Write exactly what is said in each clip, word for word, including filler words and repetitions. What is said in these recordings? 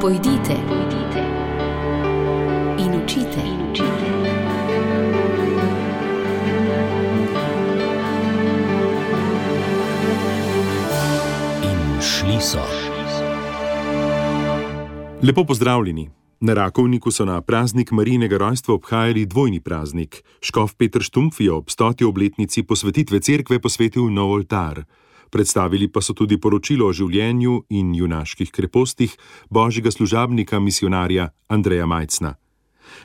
Pojdite, pojdite in učite, in učite. In šli so. Lepo pozdravljeni. Na Rakovniku so na praznik Marijinega rojstva obhajali dvojni praznik. Škof Peter Štumpf je ob stoti obletnici posvetitve cerkve posvetil nov oltar. Predstavili pa so tudi poročilo o življenju in junaških krepostih božjega služabnika misionarja Andreja Majcna.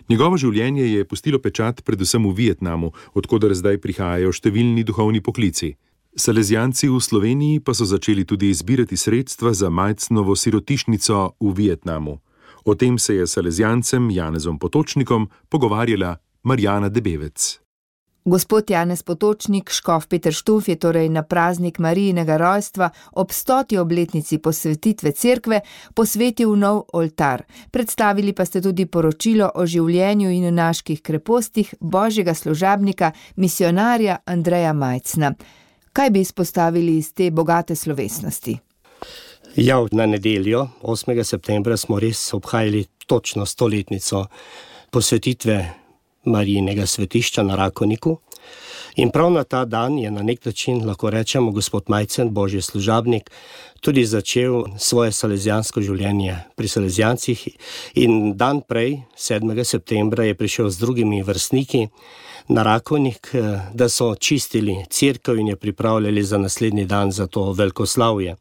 Njegovo življenje je pustilo pečat predvsem v Vietnamu, od koder zdaj prihajajo številni duhovni poklici. Salezijanci v Sloveniji pa so začeli tudi zbirati sredstva za Majcnovo sirotišnico v Vietnamu. O tem se je s salezijancem Janezom Potočnikom pogovarjala Marjana Debevec. Gospod Janez Potočnik, škof Peter Štumpf je torej na praznik Marijinega rojstva ob stoti obletnici posvetitve cerkve posvetil nov oltar. Predstavili pa ste tudi poročilo o življenju in junaških krepostih božjega služabnika, misionarja Andreja Majcna. Kaj bi izpostavili iz te bogate slovesnosti? Ja, na nedeljo, osmega septembra, smo res obhajali točno stoletnico posvetitve Marijinega svetišča na Rakovniku. In prav na ta dan je na nek način, lahko rečemo, gospod Majcen, božji služabnik, tudi začel svoje salezijansko življenje pri salezijancih. In dan prej, sedmega septembra, je prišel z drugimi vrstniki na Rakovnik, da so čistili cerkev in je pripravljali za naslednji dan za to velikoslavje.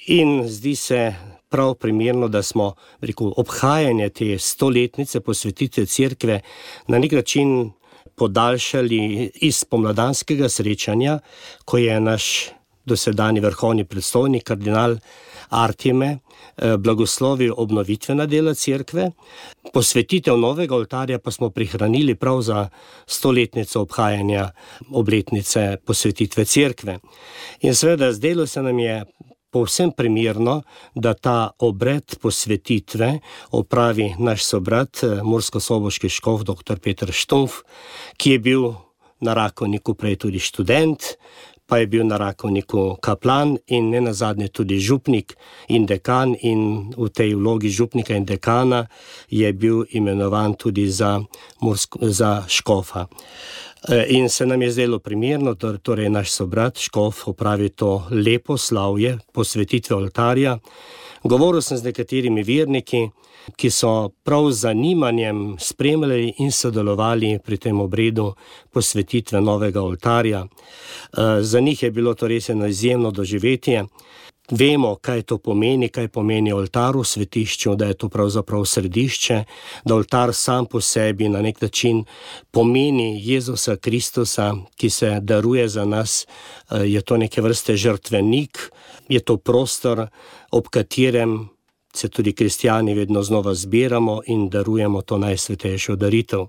In zdi se prav primerno, da smo rekel, obhajanje te stoletnice posvetitve cerkve na nek način podaljšali iz pomladanskega srečanja, ko je naš dosedanji vrhovni predstojnik, kardinal Artime, blagoslovil obnovitvena dela cerkve. Posvetitev novega oltarja pa smo prihranili prav za stoletnico obhajanja obletnice posvetitve cerkve. In seveda zdelo se nam je povsem primerno, da ta obred posvetitve opravi naš sobrat, murskosoboški škof doktor Peter Štumpf, ki je bil na Rakovniku prej tudi študent, pa je bil na Rakovniku kaplan in nenazadnje tudi župnik in dekan, in v tej vlogi župnika in dekana je bil imenovan tudi za, mursko, za škofa. In se nam je zdelo primerno, torej naš sobrat škof opravi to lepo slavje posvetitve oltarja. Govoril sem z nekaterimi verniki, ki so prav z zanimanjem spremljali in sodelovali pri tem obredu posvetitve novega oltarja. Za njih je bilo to res eno izjemno doživetje. Vemo, kaj to pomeni, kaj pomeni oltar v svetišču, da je to pravzaprav središče, da oltar sam po sebi na nek način pomeni Jezusa Kristusa, ki se daruje za nas, je to neke vrste žrtvenik, je to prostor, ob katerem se tudi kristjani vedno znova zbiramo in darujemo to najsvetejšo daritev.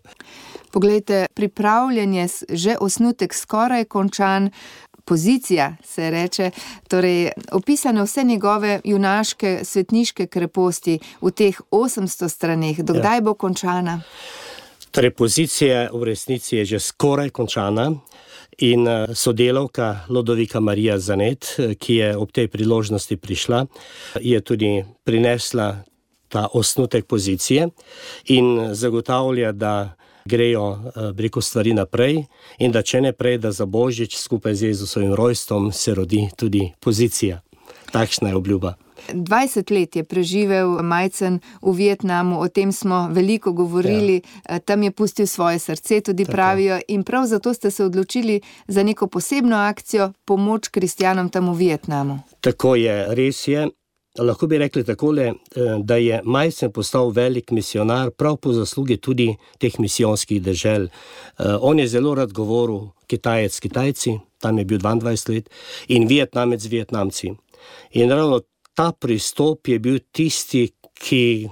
Poglejte, pripravljanje, že osnutek skoraj končan, pozicija se reče, torej opisane vse njegove junaške svetniške kreposti v teh osemsto straneh. Dokdaj ja. bo končana? Torej, pozicija v resnici je že skoraj končana in sodelavka Lodovika Marija Zanet, ki je ob tej priložnosti prišla, je tudi prinesla ta osnutek pozicije in zagotavlja, da grejo preko stvari naprej in da če ne prej, da za Božič skupaj z Jezusovim rojstvom se rodi tudi pozicija. Takšna je obljuba. dvajset let je preživel Majcen v Vietnamu, o tem smo veliko govorili, ja. Tam je pustil svoje srce, tudi Tako. pravijo, in prav zato ste se odločili za neko posebno akcijo, pomoč kristjanom tam v Vietnamu. Tako je, res je. Lahko bi rekli takole, da je Majcen postal velik misionar prav po zaslugi tudi teh misijonskih dežel. On je zelo rad govoril Kitajec s Kitajci, tam je bil dvaindvajset let, in Vietnamec z Vietnamci. In ravno ta pristop je bil tisti, ki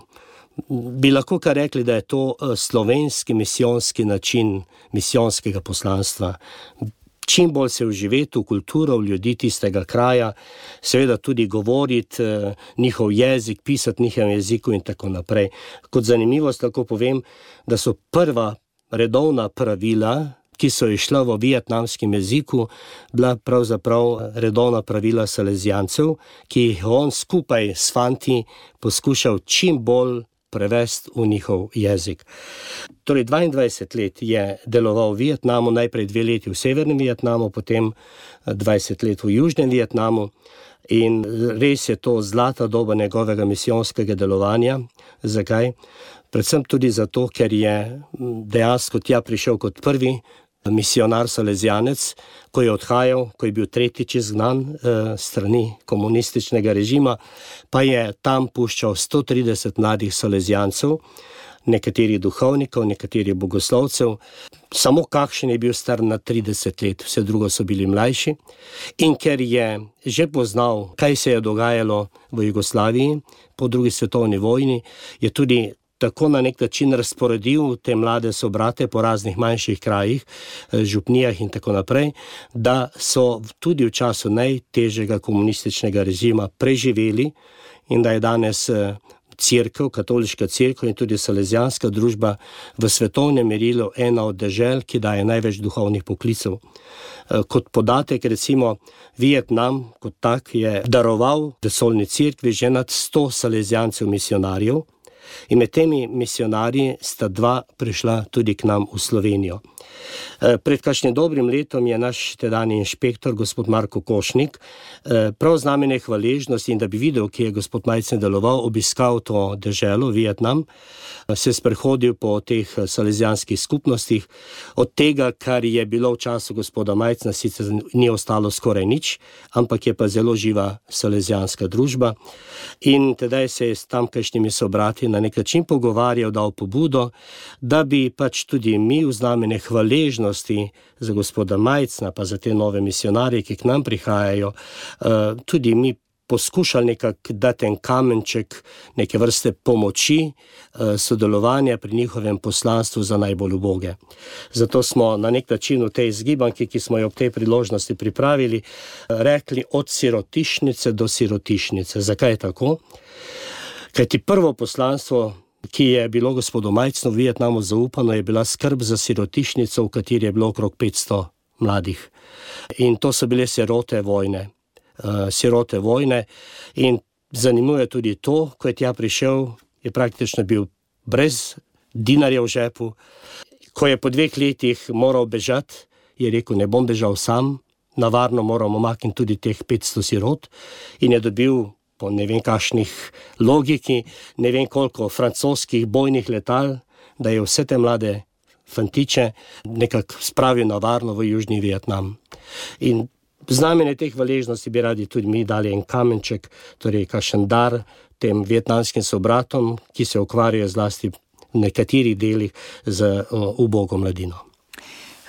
bi lahko kar rekli, da je to slovenski misijonski način misijonskega poslanstva. Čim bolj se vživeti v kulturo, v ljudi tistega kraja, seveda tudi govoriti eh, njihov jezik, pisati njihovem jeziku in tako naprej. Kot zanimivost lahko povem, da so prva redovna pravila ki so išla v vietnamskem jeziku, bila pravzaprav redovna pravila salezijancev, ki jih on skupaj s fanti poskušal čim bolj prevesti v njihov jezik. Torej dvaindvajset let je deloval v Vietnamu, najprej dve leti v severnem Vietnamu, potem dvajset let v južnem Vietnamu. In res je to zlata doba njegovega misijonskega delovanja. Zakaj? Predvsem tudi zato, ker je dejansko tja prišel kot prvi misionar salezijanec, ko je odhajal, ko je bil tretjič izgnan eh, strani komunističnega režima, pa je tam puščal sto trideset mladih salezijancev, nekaterih duhovnikov, nekaterih bogoslovcev, samo kakšen je bil star na trideset let, vse drugo so bili mlajši. In ker je že poznal, kaj se je dogajalo v Jugoslaviji po drugi svetovni vojni, je tudi tako na nek način razporedil te mlade sobrate po raznih manjših krajih, župnijah in tako naprej, da so tudi v času najtežjega komunističnega režima preživeli in da je danes cerkev, katoliška cerkev in tudi salezijanska družba v svetovnem merilu ena od dežel, ki daje največ duhovnih poklicev. Kot podatek, recimo, Vietnam kot tak je daroval vesoljni cerkvi že nad sto salezijancev misionarjev in med temi misionarji sta dva prišla tudi k nam v Slovenijo. Pred kakšnim dobrim letom je naš tedanji inšpektor, gospod Marko Košnik, prav z namene hvaležnosti in da bi videl, ki je gospod Majcen deloval, obiskal to deželo, Vietnam, se sprehodil po teh salezijanskih skupnostih. Od tega, kar je bilo v času gospoda Majcna, sicer ni ostalo skoraj nič, ampak je pa zelo živa salezijanska družba. In tedaj se je s tamkajšnjimi sobrati na nek način pogovarjal, dal pobudo, da bi pač tudi mi v znamenje hvaležnosti za gospoda Majcna, pa za te nove misionarje, ki k nam prihajajo, tudi mi poskušali nekako dati en kamenček, neke vrste pomoči, sodelovanja pri njihovem poslanstvu za najbolj uboge. Zato smo na nek način v tej zgibanki, ki smo jo ob tej priložnosti pripravili, rekli od sirotišnice do sirotišnice. Zakaj je tako? Kajti prvo poslanstvo, ki je bilo gospodu Majcnu v Vietnamu zaupano, je bila skrb za sirotišnico, v kateri je bilo okrog petsto mladih. In to so bile sirote vojne. Uh, sirote vojne in zanimivo je tudi to, ko je tja prišel, je praktično bil brez dinarja v žepu. Ko je po dveh letih moral bežati, je rekel, ne bom bežal sam, navarno moramo makniti tudi teh petsto sirot in je dobil po ne vem kakšnih logiki, ne vem koliko francoskih bojnih letal, da je vse te mlade fantiče nekako spravil navarno v južni Vietnam. In znamenje teh hvaležnosti bi radi tudi mi dali en kamenček, torej kakšen dar tem vietnamskim sobratom, ki se ukvarjajo zlasti v nekaterih delih z ubogo mladino.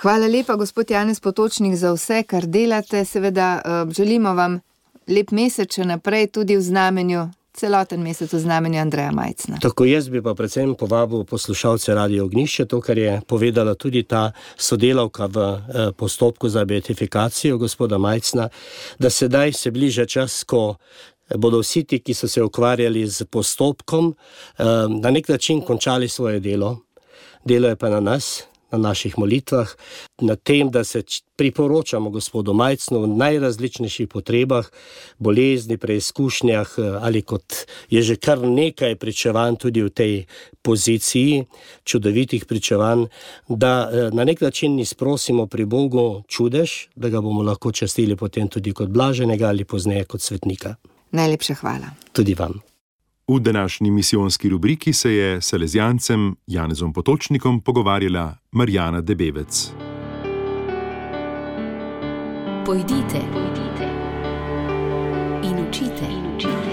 Hvala lepa, gospod Janez Potočnik, za vse, kar delate. Seveda želimo vam lep mesec še naprej, tudi v znamenju, celoten mesec v znamenju Andreja Majcna. Tako, jaz bi pa predvsem povabil poslušalce Radio Ognjišče, to, kar je povedala tudi ta sodelavka v eh, postopku za beatifikacijo gospoda Majcna, da sedaj se bliža čas, ko bodo vsi ti, ki so se ukvarjali z postopkom, eh, na nek način končali svoje delo. Delo je pa na nas, na naših molitvah, na tem, da se priporočamo gospodu Majcnu v najrazličnejših potrebah, bolezni, preizkušnjah ali kot je že kar nekaj pričevanj tudi v tej poziciji, čudovitih pričevanj, da na nek način izprosimo pri Bogu čudež, da ga bomo lahko častili potem tudi kot blaženega ali pozneje kot svetnika. Najlepša hvala. Tudi vam. V današnji misijonski rubriki se je s salezijancem Janezom Potočnikom pogovarjala Marjana Debevec. Pojdite, pojdite in učite, in učite.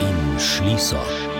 In šli so.